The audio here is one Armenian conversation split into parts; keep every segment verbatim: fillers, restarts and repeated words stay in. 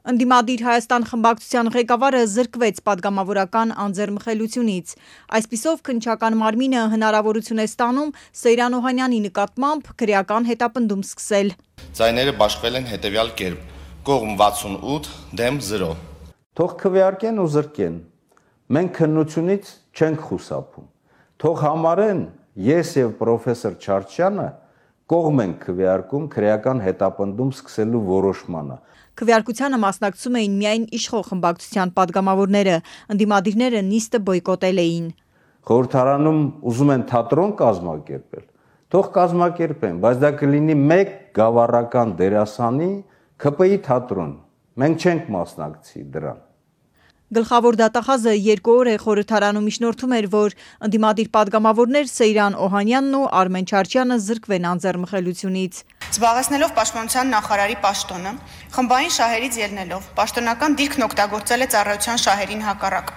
Ընդդիմադիր Հայաստան խմբակցության ղեկավարը զրկվեց պատգամավորական անձեռնմխելությունից։ Այսպիսով քննչական մարմինը հնարավորություն է ստանում Սեյրան Օհանյանի նկատմամբ քրեական հետապնդում սկսել։ Ձայները բաշխվել են հետևյալ կերպ. կողմ վաթսունութ, դեմ զրո։ Թող քվեարկեն ու զրկեն։ Մենք քննությունից չենք խուսափում։ Թող համարեն ես եւ պրոֆեսոր Չարչյանը կողմ ենք քվեարկում քրեական հետապնդում սկսելու որոշմանը։ Քվեարկությանը մասնակցում էին միայն իշխող խմբակցության պատգամավորները, ընդդիմադիրները նիստը բոյկոտել էին։ Խորհրդարանում ուզում են թատրոն կազմակերպել, թող կազմակերպեն, բայց դա կլինի մեկ գավառական դերասանի K P I թատրոն։ Մենք չենք մասնակցի դրան։ Գլխավոր դատախազը երկու օր է խորհրդարանում միջնորդում էր, որ ընդդիմադիր պատգամավորներ Սեյրան Օհանյանն ու Արմեն Չարչյանը զրկվեն անձեռնմխելությունից։ Զբաղեցնելով պաշտպանության նախարարի պաշտոնը, խմբային շահերից ելնելով, պաշտոնական դիրքն օգտագործել է ծառայության շահերին հակառակ։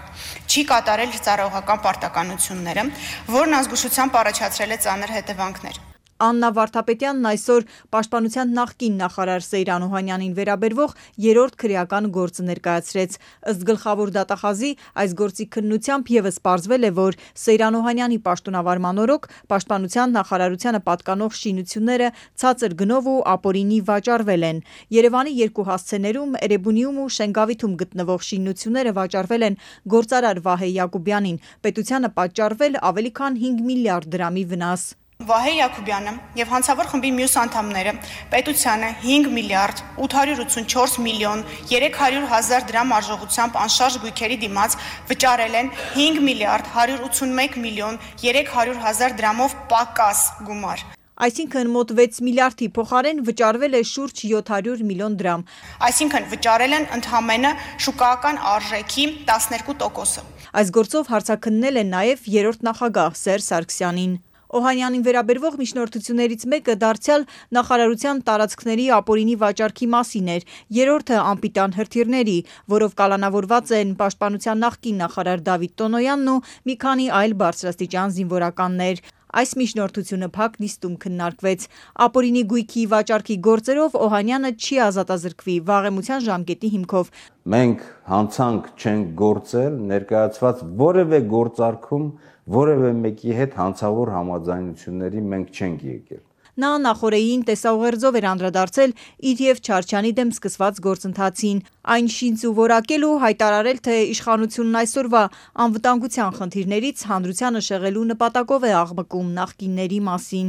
Չի կատարել ծառայողական պարտականությունները, որն ազգուշությամբ առաջացրել է ծանր հետևանքներ։ Աննա Վարդապետյանն այսօր պաշտպանության նախկին նախարար Սեյրան Օհանյանին վերաբերվող երրորդ քրեական գործը ներկայացրեց։ Ըստ գլխավոր դատախազի, այս գործի քննությամբ ևս պարզվել է, որ Սեյրան Օհանյանի պաշտոնավարման օրոք պաշտպանության նախարարությանը պատկանող շինությունները ցածր գնով ու ապօրինի վաճառվել են։ Երևանի երկու հասցեներում, Էրեբունիում ու Շենգավիթում գտնվող շինությունները վաճառվել են գործարար Վահե Յակոբյանին։ Պետությանը պատճառվել ավելի քան հինգ միլիարդ դրամի վնաս։ Վահե Յակոբյանը եւ հանցավոր խմբի մյուս անդամները պետությանը հինգ միլիարդ ութ հարյուր ութսունչորս միլիոն երեք հարյուր հազար դրամ արժողությամբ անշարժ գույքերի դիմաց վճարել են հինգ միլիարդ հարյուր ութսունմեկ միլիոն երեք հարյուր հազար դրամով պակաս գումար։ Այսինքն մոտ վեց միլիարդի փոխարեն վճարվել է շուրջ յոթ հարյուր միլիոն դրամ։ Այսինքն վճարել են ընդհանրապես շուկայական արժեքի տասներկու տոկոսը։ Այս գործով հարցաքննել են նաև երրորդ նախագահ Սերժ Սարգսյանին։ Օհանյանին վերաբերվող միջնորդություններից մեկը դարձյալ նախարարության տարածքների ապօրինի վաճառքի մասին էր, երրորդը անպիտան հրթիռների, որով կալանավորված են պաշտպանության նախկին նախարար Դավիթ Տոնոյանն ու մի քանի այլ բարձրաստիճան զինվորականներ։ Այս միջնորդությունը փակ նիստում քննարկվեց։ Ապօրինի գույքի վաճառքի գործերով Օհանյանը չի ազատազրկվի վաղեմության ժամկետի հիմքով։ Մենք հանցանք չենք գործել, ներկայացված որևէ գործարքում որևէ մեկի հետ հանցավոր համաձայնությունների մենք չենք եկել։ Նա նախորդին տեսաուղերձով էր անդրադարձել իր եւ Չարչյանի դեմ սկսված գործընթացին, այն շինծ ու որակել ու հայտարարել, թե իշխանությունն այսօրվա անվտանգության խնդիրներից հանրությանը շեղելու նպատակով է աղմկում նախկինների մասին։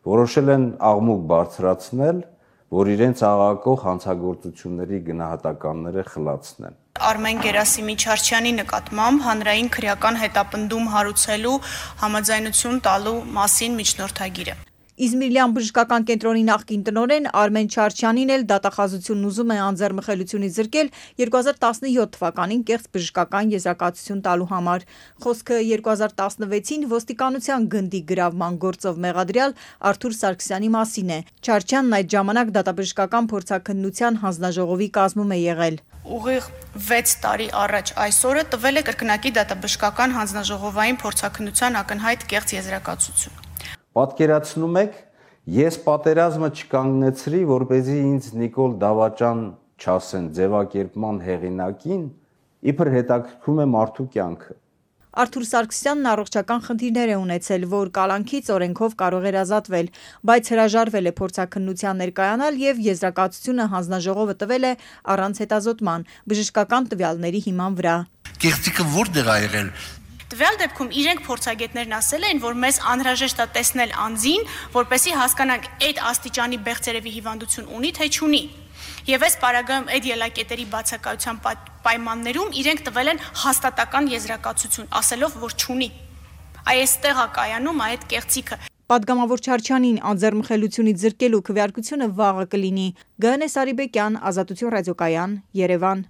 Որոշել են աղմուկ բարձրացնել, որ իրենց աղաղակող հանցագործությունների գնահատականները խլացնեն։ Արմեն Գերասիմի Չարչյանի նկատմամբ հանրային քրեական հետապնդում հարուցելու համաձայնություն տալու մասին միջնորդագիրը։ Իզմիրլյան բժշկական կենտրոնի նախկին տնօրեն Արմեն Չարչյանին էլ դատախազությունն ուզում է անձեռնմխելությունից զրկել երկու հազար տասնյոթ թվականին կեղծ բժշկական եզրակացություն տալու համար։ Խոսքը երկու հազար տասնվեցին ոստիկանության գնդի գրավման գործով մեղադրյալ Արթուր Սարգսյանի մասին է։ Չարչյանն այդ ժամանակ դատաբժշկական փորձաքննության հանձնաժողովի կազմում է եղել։ Ուղիղ վեց տարի առաջ այսօրը տվել է կրկնակի դատաբժշկական հանձնաժողովային փորձաքննության ակնհայտ կեղծ եզրակացություն։ Պատկերացնում եք, ես պատերազմը չկանգնեցրի, որպեսզի ինձ Նիկոլ Դավաճան չասեն ձևակերպման հեղինակին, իբր հետաքրքրում է մարդու կյանքը։ Արթուր Սարգսյանն առողջական խնդիրներ է ունեցել, որ կալանքից օրենքով կարող էր ազատվել, բայց հրաժարվել է փորձաքննության ներկայանալ եւ եզրակացությունը հանձնաժողովը տվել է առանց հետազոտման, բժշկական տվյալների հիման վրա։ Կեղծիքը որտեղ ա եղել։ Տվյալ դեպքում իրենք փորձագետներն ասել են, որ մեզ անհրաժեշտ է տեսնել անձին, որպեսզի հասկանանք այդ աստիճանի բեղձերևի հիվանդություն ունի թե չունի։ Եվ այս պարագայում այդ ելակետերի բացակայության պայմաններում իրենք տվել են հաստատական եզրակացություն, ասելով, որ չունի։ Այստեղ է կայանում այդ կեղծիքը։ Պատգամավոր Չարչյանին անձեռնմխելությունից զրկելու քվեարկությունը վաղը կլինի։ Գայանե Սարիբեկյան, Ազատություն ռադիոկայան, Երևան։